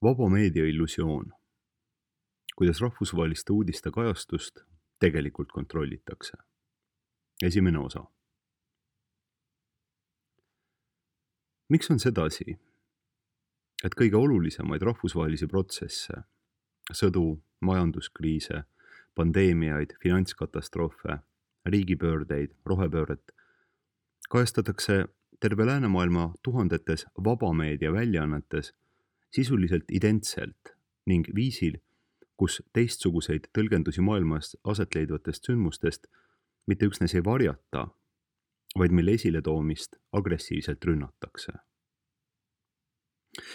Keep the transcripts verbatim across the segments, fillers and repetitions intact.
Vaba meedia illusioon. Kuidas rahvusvaheliste uudiste kajastust tegelikult kontrollitakse. Esimene osa. Miks on sedasi, et kõige olulisemaid rahvusvahelisi protsesse, sõdu, majanduskriise, pandeemiaid, finantskatastroofe, riigipöördeid, rohepööret, kajastatakse terve läänemaailma tuhandetes vabameedia väljaannetes sisuliselt identselt ning viisil, kus teistsuguseid tõlgendusi maailmas aset leidvatest sündmustest mitte üksnes ei varjata, vaid mille esiletoomist agressiivselt rünnatakse.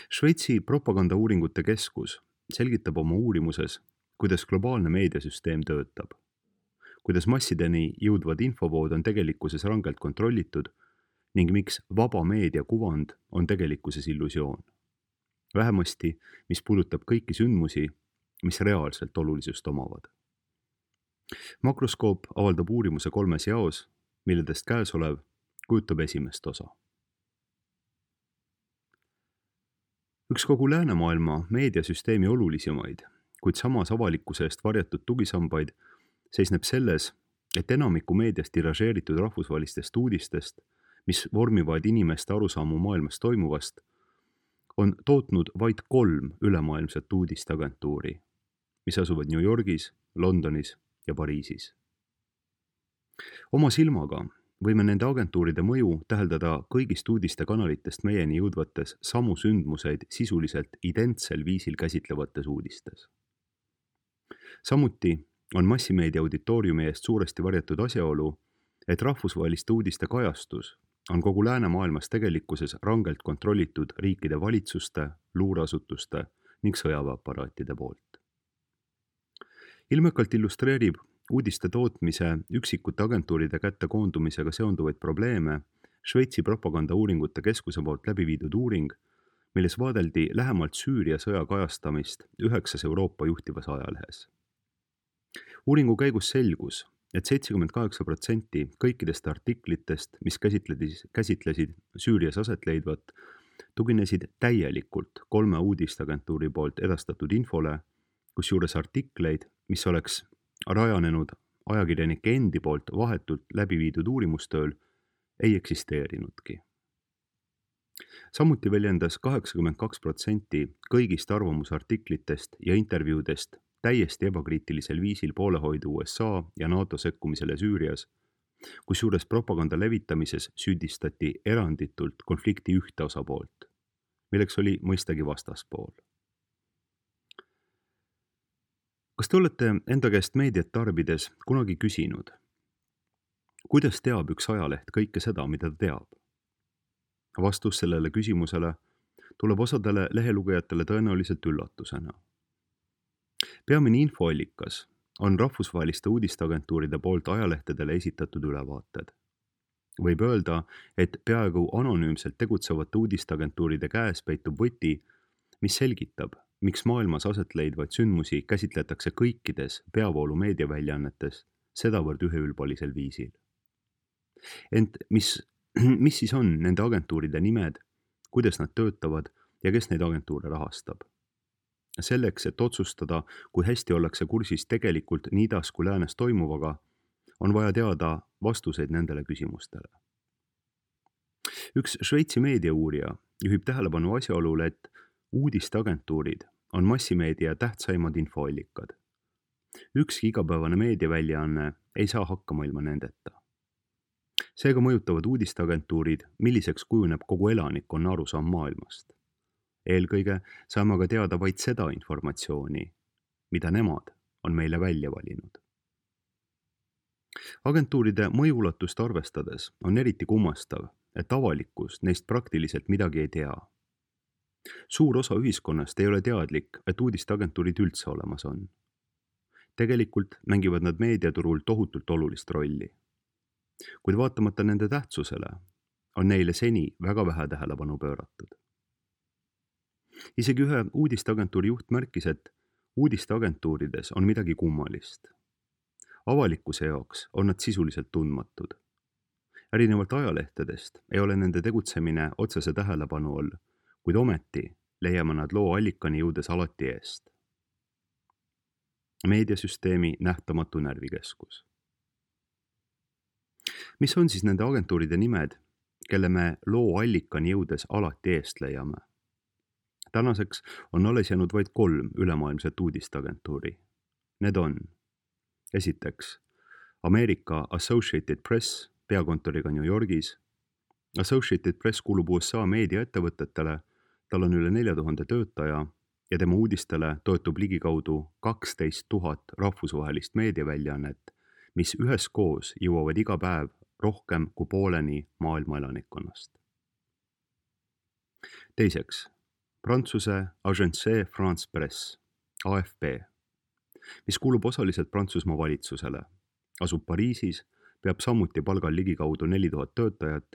Šveitsi propagandauuringute keskus selgitab oma uurimuses, kuidas globaalne meediasüsteem töötab, kuidas massideni jõudvad infovood on tegelikkuses rangelt kontrollitud ning miks vaba meedia kuvand on tegelikkuses illusioon. Vähemasti, mis puudutab kõiki sündmusi, mis reaalselt olulisust omavad. Makroskoop avaldab uurimuse kolmes jaos, milledest käesolev kujutab esimest osa. Üks kogu läänemaailma meediasüsteemi olulisemaid, kuid samas avalikkuse eest varjatud tugisambaid seisneb selles, et enamiku meediast tiražeeritud rahvusvahelistest uudistest, mis vormivad inimeste arusaamu maailmas toimuvast, on tootnud vaid kolm ülemaailmset uudisteagentuuri, mis asuvad New Yorgis, Londonis ja Pariisis. Oma silmaga võime nende agentuuride mõju täheldada kõigist uudistekanalitest meieni jõudvates samu sündmuseid sisuliselt identsel viisil käsitlevates uudistes. Samuti on massimeedia auditooriumi eest suuresti varjatud asjaolu, et rahvusvaheliste uudiste kajastus on kogu läänemaailmas tegelikkuses rangelt kontrollitud riikide valitsuste, luureasutuste ning sõjaväeaparaatide poolt. Ilmekalt illustreerib uudiste tootmise üksikute agentuuride kätte koondumisega seonduvaid probleeme Šveitsi propagandauuringute keskuse poolt läbi viidud uuring, milles vaadeldi lähemalt Süüria sõja kajastamist üheksas Euroopa juhtivas ajalehes. Uuringu käigus selgus, et seitsekümmend kaheksa protsenti kõikidest artiklitest, mis käsitlesid, käsitlesid Süürias aset leidvat, tuginesid täielikult kolme uudisteagentuuri poolt edastatud infole, kusjuures artikleid, mis oleks rajanenud ajakirjanike endi poolt vahetult läbi viidud uurimustööl, ei eksisteerinudki. Samuti väljendas kaheksakümmend kaks protsenti kõigist arvamusartiklitest ja intervjuudest täiesti ebakriitilisel viisil poolehoidu U S A ja NATO sekkumisele Süürias, kusjuures propaganda levitamises süüdistati eranditult konflikti ühte osapoolt, milleks oli mõistagi vastaspool. Kas te olete enda käest meediat tarbides kunagi küsinud, kuidas teab üks ajaleht kõike seda, mida ta teab? Vastus sellele küsimusele tuleb osadele lehelugejatele tõenäoliselt üllatusena. Peamine infoallikas on rahvusvaheliste uudisteagentuuride poolt ajalehtedele esitatud ülevaated. Võib öelda, et peaaegu anonüümselt tegutsevate uudisteagentuuride käes peitub võti, mis selgitab, miks maailmas aset leidvaid sündmusi käsitletakse kõikides peavoolu meediaväljaannetes sedavõrd üheülbalisel viisil. Ent mis, mis siis on nende agentuuride nimed, kuidas nad töötavad ja kes neid agentuure rahastab? Selleks, et otsustada, kui hästi ollakse kursis tegelikult nii idas kui läänes toimuvaga, on vaja teada vastuseid nendele küsimustele. Üks Šveitsi meediauurija juhib tähelepanu asjaolule, et uudisteagentuurid on massimeedia tähtsaimad infoallikad. Ükski igapäevane meediaväljaanne ei saa hakkama ilma nendeta. Seega mõjutavad uudisteagentuurid, milliseks kujuneb kogu elanikkonna arusaam maailmast. Eelkõige saame aga teada vaid seda informatsiooni, mida nemad on meile välja valinud. Agentuuride mõjuulatust arvestades on eriti kummastav, et avalikkus neist praktiliselt midagi ei tea. Suur osa ühiskonnast ei ole teadlik, et uudisteagentuurid üldse olemas on. Tegelikult mängivad nad meediaturul tohutult olulist rolli. Kuid vaatamata nende tähtsusele on neile seni väga vähe tähelepanu pööratud. Isegi ühe uudisteagentuuri juht märkis, et uudisteagentuurides on midagi kummalist. Avalikkuse jaoks on nad sisuliselt tundmatud. Erinevalt ajalehtedest ei ole nende tegutsemine otsese tähelepanu all, kuid ometi leiame nad loo allikani jõudes alati eest. Meediasüsteemi nähtamatu närvikeskus. Mis on siis nende agentuuride nimed, kelle me loo allikani jõudes alati eest leiame? Tänaseks on alles jäänud vaid kolm ülemaailmset uudisteagentuuri. Need on esiteks Ameerika Associated Press peakontoriga New Yorgis. Associated Press kuulub U S A meediaettevõtetele, tal on üle nelja tuhande töötaja ja tema uudistele toetub ligikaudu kaksteist tuhat rahvusvahelist meediaväljaannet, mis üheskoos jõuavad iga päev rohkem kui pooleni maailma elanikkonnast. Teiseks, Prantsuse Agence France Presse, A F P, mis kuulub osaliselt Prantsusmaa valitsusele, asub Pariisis, peab samuti palgal ligikaudu neli tuhat töötajat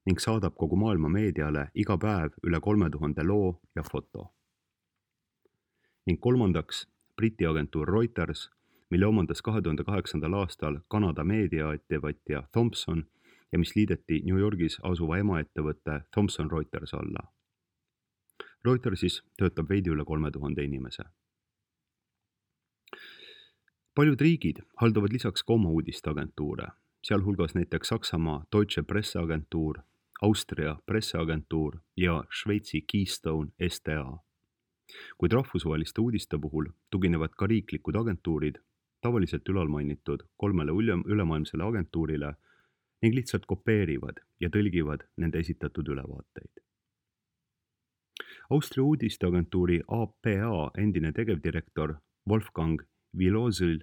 ning saadab kogu maailma meediale iga päev üle kolme tuhande loo ja foto. Ning kolmandaks, Briti agentuur Reuters, mille omandas kahe tuhande kaheksandal aastal Kanada meediaettevõtja Thomson ja mis liideti New Yorgis asuva emaettevõtte Thomson Reuters alla. Reutersis töötab veidi üle kolme tuhande inimese. Paljud riigid haldavad lisaks ka oma uudisteagentuure, sealhulgas näiteks Saksamaa Deutsche Presseagentuur, Austria Presseagentuur ja Šveitsi Keystone S T A. Kuid rahvusvaheliste uudiste puhul tuginevad ka riiklikud agentuurid, tavaliselt ülalmainitud kolmele ülemaailmsele agentuurile ning lihtsalt kopeerivad ja tõlgivad nende esitatud ülevaateid. Austria uudisteagentuuri A P A endine tegevdirektor Wolfgang Wilozel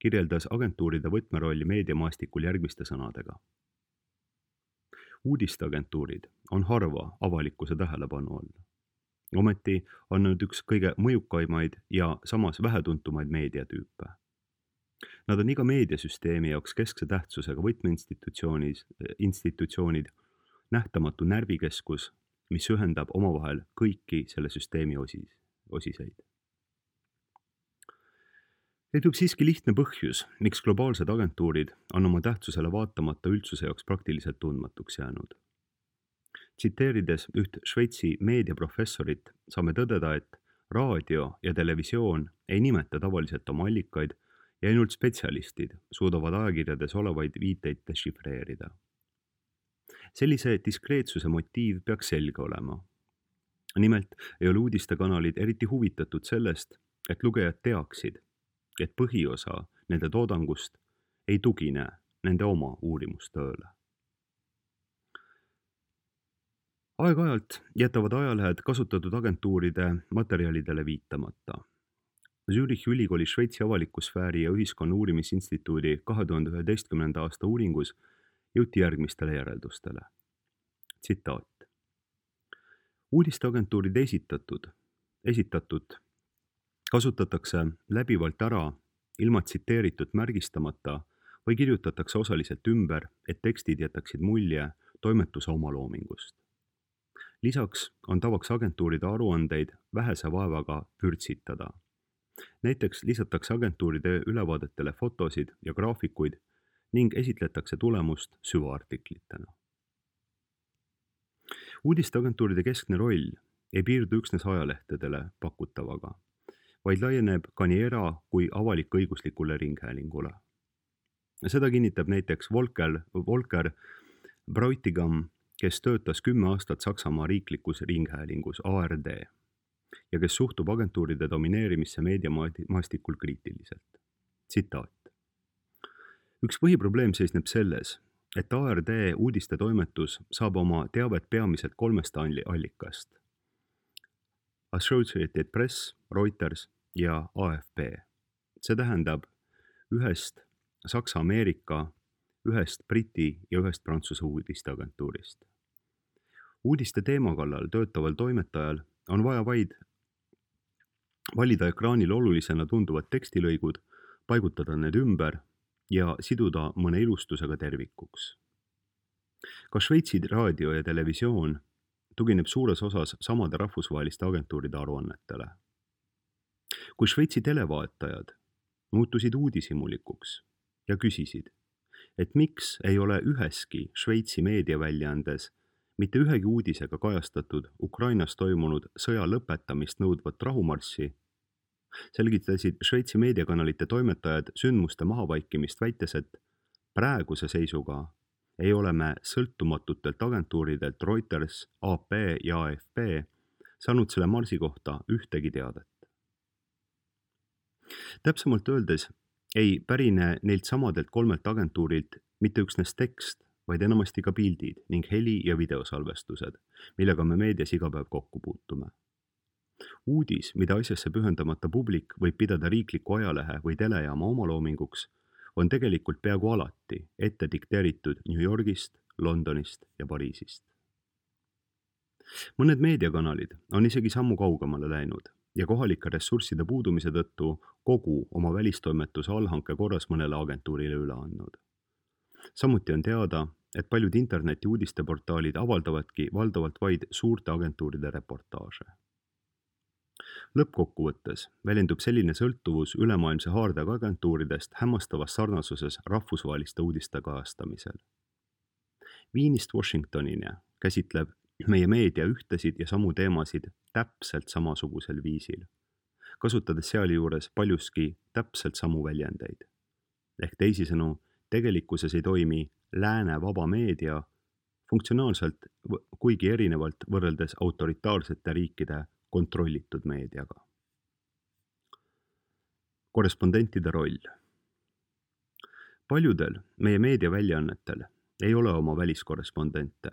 kirjeldas agentuuride võtmerolli meediamaastikul järgmiste sõnadega. Uudisteagentuurid on harva avalikkuse tähelepanu all. Ometi on nad üks kõige mõjukaimaid ja samas vähetuntumaid meediatüüpe. Nad on iga meediasüsteemi jaoks keskse tähtsusega võtmeinstitutsioonid, nähtamatu närvikeskus, mis ühendab omavahel kõiki selle süsteemi osis, osiseid. Leidub siiski lihtne põhjus, miks globaalsed agentuurid on oma tähtsusele vaatamata üldsuse jaoks praktiliselt tundmatuks jäänud. Tsiteerides üht Šveitsi meediaprofessorit, saame tõdeda, et raadio ja televisioon ei nimeta tavaliselt oma allikaid ja ainult spetsialistid suudavad ajakirjades olevaid viiteid dešifreerida. Sellise diskreetsuse motiiv peaks selge olema. Nimelt ei ole uudistekanalid eriti huvitatud sellest, et lugejad teaksid, et põhiosa nende toodangust ei tugine nende oma uurimustööle. Aeg-ajalt jätavad ajalehed kasutatud agentuuride materjalidele viitamata. Zürichi ülikooli Šveitsi avalikusfääri ja ühiskonna uurimisinstituudi kahe tuhande üheteistkümnenda aasta uuringus jõuti järgmistele järeldustele. Tsitaat. Uudisteagentuuride esitatud, esitatud kasutatakse läbivalt ära ilma tsiteeritud märgistamata või kirjutatakse osaliselt ümber, et tekstid jätaksid mulje toimetuse omaloomingust. Lisaks on tavaks agentuuride aruandeid vähese vaevaga vürtsitada. Näiteks lisatakse agentuuride ülevaadetele fotosid ja graafikuid ning esitletakse tulemust süvaartiklitena. Uudisteagentuuride keskne roll ei piirdu üksnes ajalehtedele pakutavaga, vaid laieneb ka nii era- kui avalik-õiguslikule ringhäälingule. Seda kinnitab näiteks Volker, Volker Bräutigam, kes töötas kümme aastat Saksamaa riiklikus ringhäälingus A R D ja kes suhtub agentuuride domineerimisse meediamaastikul kriitiliselt. Tsitaat. Üks põhiprobleem seisneb selles, et A R D uudistetoimetus saab oma teavet peamiselt kolmest allikast. Associated Press, Reuters ja A F P. See tähendab ühest Saksa-Ameerika, ühest Briti ja ühest Prantsuse uudisteagentuurist. Uudiste teema kallal töötaval toimetajal on vaja vaid valida ekraanil olulisena tunduvad tekstilõigud, paigutada need ümber ja siduda mõne ilustusega tervikuks. Ka Šveitsi raadio ja televisioon tugineb suures osas samade rahvusvaheliste agentuuride aruannetele. Kui Šveitsi televaatajad muutusid uudishimulikuks ja küsisid, et miks ei ole üheski Šveitsi meediaväljaandes mitte ühegi uudisega kajastatud Ukrainas toimunud sõja lõpetamist nõudvat rahumarssi, selgitasid Šveitsi meediakanalite toimetajad sündmuste mahavaikimist väites, et praeguse seisuga ei ole me sõltumatutelt agentuuridelt Reuters, A P ja A F P saanud selle marsi kohta ühtegi teadet. Täpsemalt öeldes ei pärine neilt samadelt kolmelt agentuurilt mitte üksnes tekst, vaid enamasti ka pildid ning heli- ja videosalvestused, millega me meedias iga päev kokku puutume. Uudis, mida asjasse pühendamata publik võib pidada riikliku ajalehe või telejaama omaloominguks, on tegelikult peaaegu alati ette dikteeritud New Yorgist, Londonist ja Pariisist. Mõned meediakanalid on isegi sammu kaugemale läinud ja kohalike ressursside puudumise tõttu kogu oma välistoimetuse allhanke korras mõnele agentuurile üle andnud. Samuti on teada, et paljud interneti uudisteportaalid avaldavadki valdavalt vaid suurte agentuuride reportaaže. Lõppkokkuvõttes väljendub selline sõltuvus ülemaailmse haardega agentuuridest hämmastavas sarnasuses rahvusvaheliste uudiste kajastamisel. Viinist Washingtonini käsitleb meie meedia ühtesid ja samu teemasid täpselt samasugusel viisil, kasutades sealjuures paljuski täpselt samu väljendeid. Ehk teisisõnu, tegelikkuses ei toimi lääne vaba meedia funktsionaalselt kuigi erinevalt võrreldes autoritaarsete riikide kontrollitud meediaga. Korrespondentide roll. Paljudel meie meediaväljaannetel ei ole oma väliskorrespondente.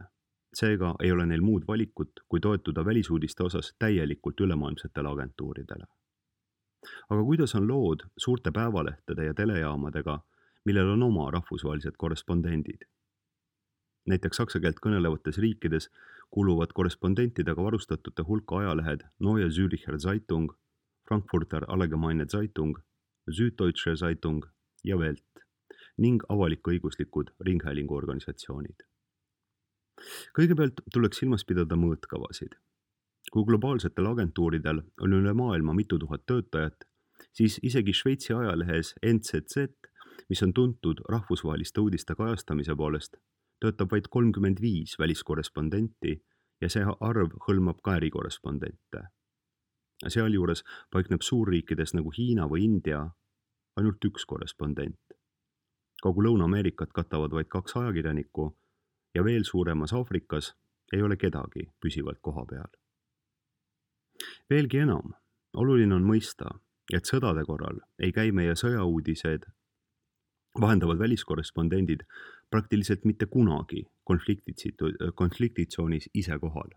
Seega ei ole neil muud valikut, kui toetuda välisuudiste osas täielikult ülemaailmsetele agentuuridele. Aga kuidas on lood suurte päevalehtede ja telejaamadega, millel on oma rahvusvahelised korrespondendid? Näiteks saksa keelt kõnelevates riikides kuuluvad korrespondentidega varustatute hulka ajalehed Neue Züricher Zeitung, Frankfurter Allgemeine Zeitung, Süddeutsche Zeitung ja Welt ning avalik-õiguslikud ringhäälinguorganisatsioonid. Kõigepealt tuleks silmas pidada mõõtkavasid. Kui globaalsetel agentuuridel on üle maailma mitu tuhat töötajat, siis isegi Šveitsi ajalehes N Z Z, mis on tuntud rahvusvaheliste uudiste kajastamise poolest, töötab vaid kolmkümmend viis väliskorrespondenti ja see arv hõlmab ka ärikorrespondente. Sealjuures paikneb suurriikides nagu Hiina või India ainult üks korrespondent. Kogu Lõuna-Ameerikat katavad vaid kaks ajakirjanikku ja veel suuremas Aafrikas ei ole kedagi püsivalt koha peal. Veelgi enam, oluline on mõista, et sõdade korral ei käi meie sõjauudised vahendavad väliskorrespondendid praktiliselt mitte kunagi konfliktitsoonis ise kohal.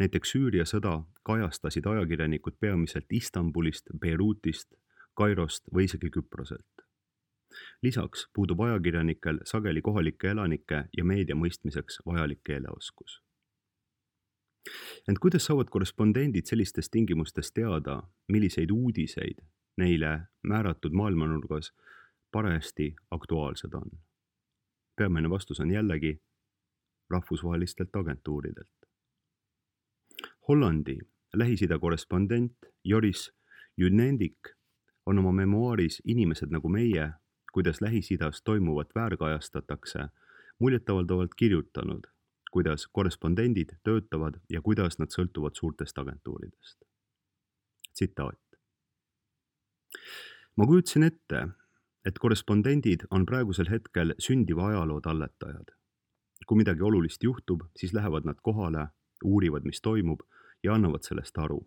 Näiteks Süüria sõda kajastasid ajakirjanikud peamiselt Istanbulist, Beirutist, Kairost või isegi Küproselt. Lisaks puudub ajakirjanikel sageli kohalike elanike ja meedia mõistmiseks vajalik keeleoskus. Ent kuidas saavad korrespondendid sellistes tingimustes teada, milliseid uudiseid neile määratud maailmanurgas parajasti aktuaalsed on? Peamine vastus on jällegi rahvusvahelistelt agentuuridelt. Hollandi Lähis-Ida korrespondent Joris Junendik on oma memuaaris Inimesed nagu meie, kuidas Lähis-Idas toimuvat väärkajastatakse, muljetavaldavalt kirjutanud, kuidas korrespondendid töötavad ja kuidas nad sõltuvad suurtest agentuuridest. Tsitaat. Ma kujutasin ette, et korrespondendid on praegusel hetkel sündiva ajaloo talletajad. Kui midagi olulist juhtub, siis lähevad nad kohale, uurivad, mis toimub ja annavad sellest aru.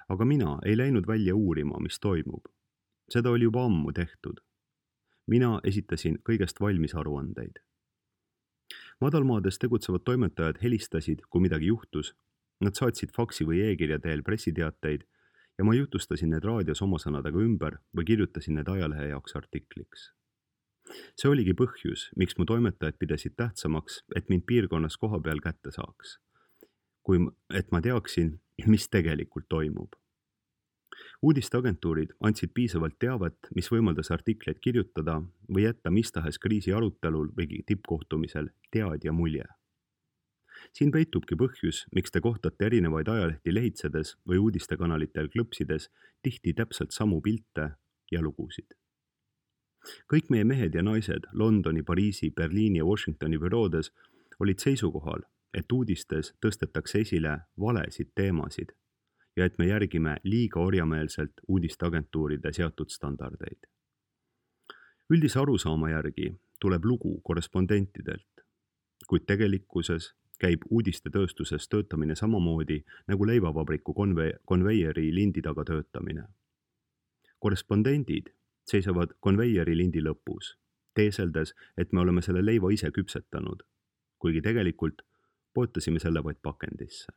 Aga mina ei läinud välja uurima, mis toimub. Seda oli juba ammu tehtud. Mina esitasin kõigest valmis aruandeid. Madalmaades tegutsevad toimetajad helistasid, kui midagi juhtus. Nad saatsid faksi või e-kirja teel pressiteateid ja ma jutustasin need raadios oma sõnadega ümber või kirjutasin need ajalehe jaoks artikliks. See oligi põhjus, miks mu toimetajad pidasid tähtsamaks, et mind piirkonnas koha peal kätte saaks, kui et ma teaksin, mis tegelikult toimub. Uudisteagentuurid andsid piisavalt teavet, mis võimaldas artikleid kirjutada või jätta mis tahes kriisi arutelul või tippkohtumisel teadja mulje. Siin peitubki põhjus, miks te kohtate erinevaid ajalehti lehitsedes või uudistekanalitel klõpsides tihti täpselt samu pilte ja lugusid. Kõik meie mehed ja naised Londoni, Pariisi, Berliini ja Washingtoni büroodes olid seisukohal, et uudistes tõstetakse esile valesid teemasid ja et me järgime liiga orjameelselt uudisteagentuuride seatud standardeid. Üldise arusaama järgi tuleb lugu korrespondentidelt, kuid tegelikkuses käib uudistetööstuses töötamine samamoodi nagu leivavabriku konve- konveieri lindi taga töötamine. Korrespondendid seisavad konveieri lindi lõpus, teeseldes, et me oleme selle leiva ise küpsetanud, kuigi tegelikult poetasime selle vaid pakendisse.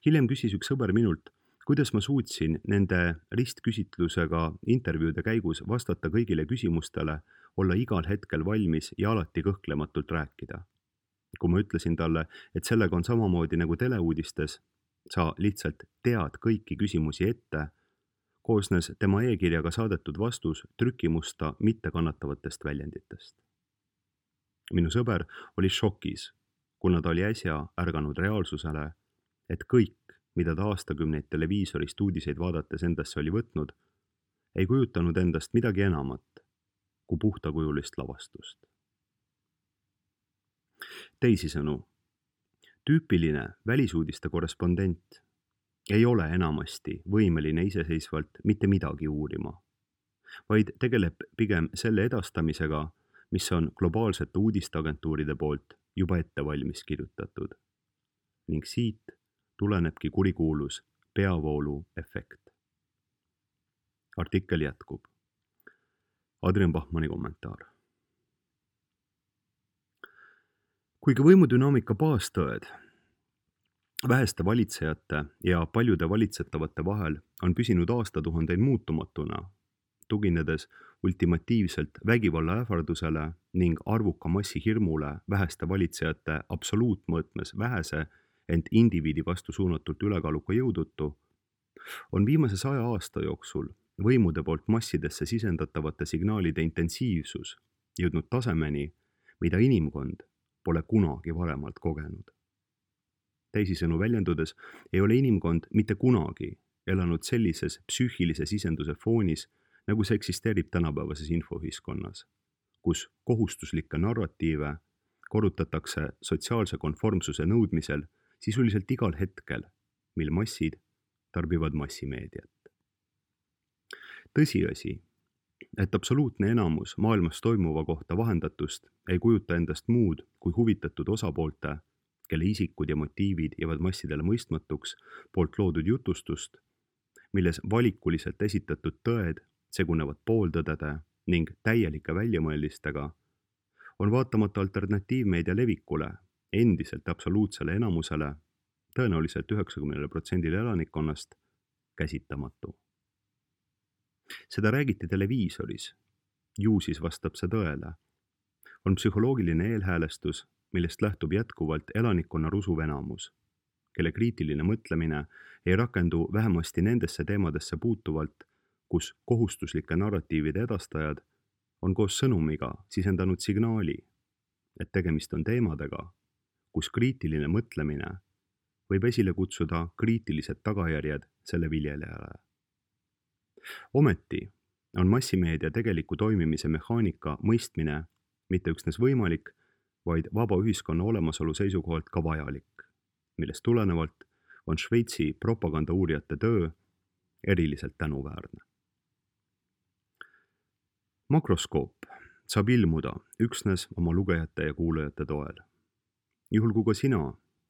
Hiljem küsis üks sõber minult, kuidas ma suutsin nende ristküsitlusega intervjuude käigus vastata kõigile küsimustele, olla igal hetkel valmis ja alati kõhklematult rääkida. Kui ma ütlesin talle, et sellega on samamoodi nagu teleuudistes, sa lihtsalt tead kõiki küsimusi ette, koosnes tema e-kirjaga saadetud vastus trükimusta mittekannatavatest väljenditest. Minu sõber oli šokis, kuna ta oli äsja ärganud reaalsusele, et kõik, mida ta aastakümneid televiisorist uudiseid vaadates endasse oli võtnud, ei kujutanud endast midagi enamat kui puhtakujulist lavastust. Teisisõnu, tüüpiline välisuudiste korrespondent ei ole enamasti võimeline iseseisvalt mitte midagi uurima, vaid tegeleb pigem selle edastamisega, mis on globaalsete uudisteagentuuride poolt juba ette valmis kirjutatud. Ning siit tulenebki kurikuulus peavoolu efekt. Artikkel jätkub. Adrian Bachmanni kommentaar. Kuigi võimudünaamika baastõed väheste valitsejate ja paljude valitsetavate vahel on püsinud aastatuhandeid muutumatuna, tuginedes ultimatiivselt vägivalla ähvardusele ning arvuka massi hirmule väheste valitsejate absoluutmõõtmes vähese, ent indiviidi vastu suunatult ülekaaluka jõudutu, on viimase saja aasta jooksul võimude poolt massidesse sisendatavate signaalide intensiivsus jõudnud tasemeni, mida inimkond pole kunagi varemalt kogenud. Teisisõnu väljendudes ei ole inimkond mitte kunagi elanud sellises psüühilise sisenduse foonis, nagu see eksisteerib tänapäevases infoühiskonnas, kus kohustuslikke narratiive korrutatakse sotsiaalse konformsuse nõudmisel sisuliselt igal hetkel, mil massid tarbivad massimeediat. Tõsiasi, et absoluutne enamus maailmas toimuva kohta vahendatust ei kujuta endast muud kui huvitatud osapoolte, kelle isikud ja motiivid jäävad massidele mõistmatuks, poolt loodud jutustust, milles valikuliselt esitatud tõed segunevad pooltõdede ning täielike väljamõeldistega, on vaatamata alternatiivmeedia levikule endiselt absoluutsele enamusele, tõenäoliselt üheksakümnele protsendile elanikkonnast, käsitamatu. Seda räägiti televiisoris, ju siis vastab see tõele. On psühholoogiline eelhäälestus, millest lähtub jätkuvalt elanikkonna rusuv enamus, kelle kriitiline mõtlemine ei rakendu vähemasti nendesse teemadesse puutuvalt, kus kohustuslike narratiivide edastajad on koos sõnumiga sisendanud signaali, et tegemist on teemadega, kus kriitiline mõtlemine võib esile kutsuda kriitilised tagajärjed selle viljelejale. Ometi on massimeedia tegeliku toimimise mehaanika mõistmine mitte üksnes võimalik, vaid vaba ühiskonna olemasolu seisukohalt ka vajalik, millest tulenevalt on Šveitsi propagandauurijate töö eriliselt tänuväärne. Makroskoop saab ilmuda üksnes oma lugejate ja kuulajate toel. Juhul kui ka sina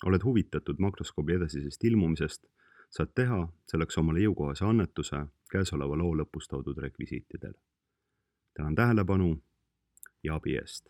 oled huvitatud makroskoobi edasisest ilmumisest, saad teha selleks omale jõukohase annetuse käesoleva loo lõpus toodud rekvisiitidel. Tänan tähelepanu ja abi eest!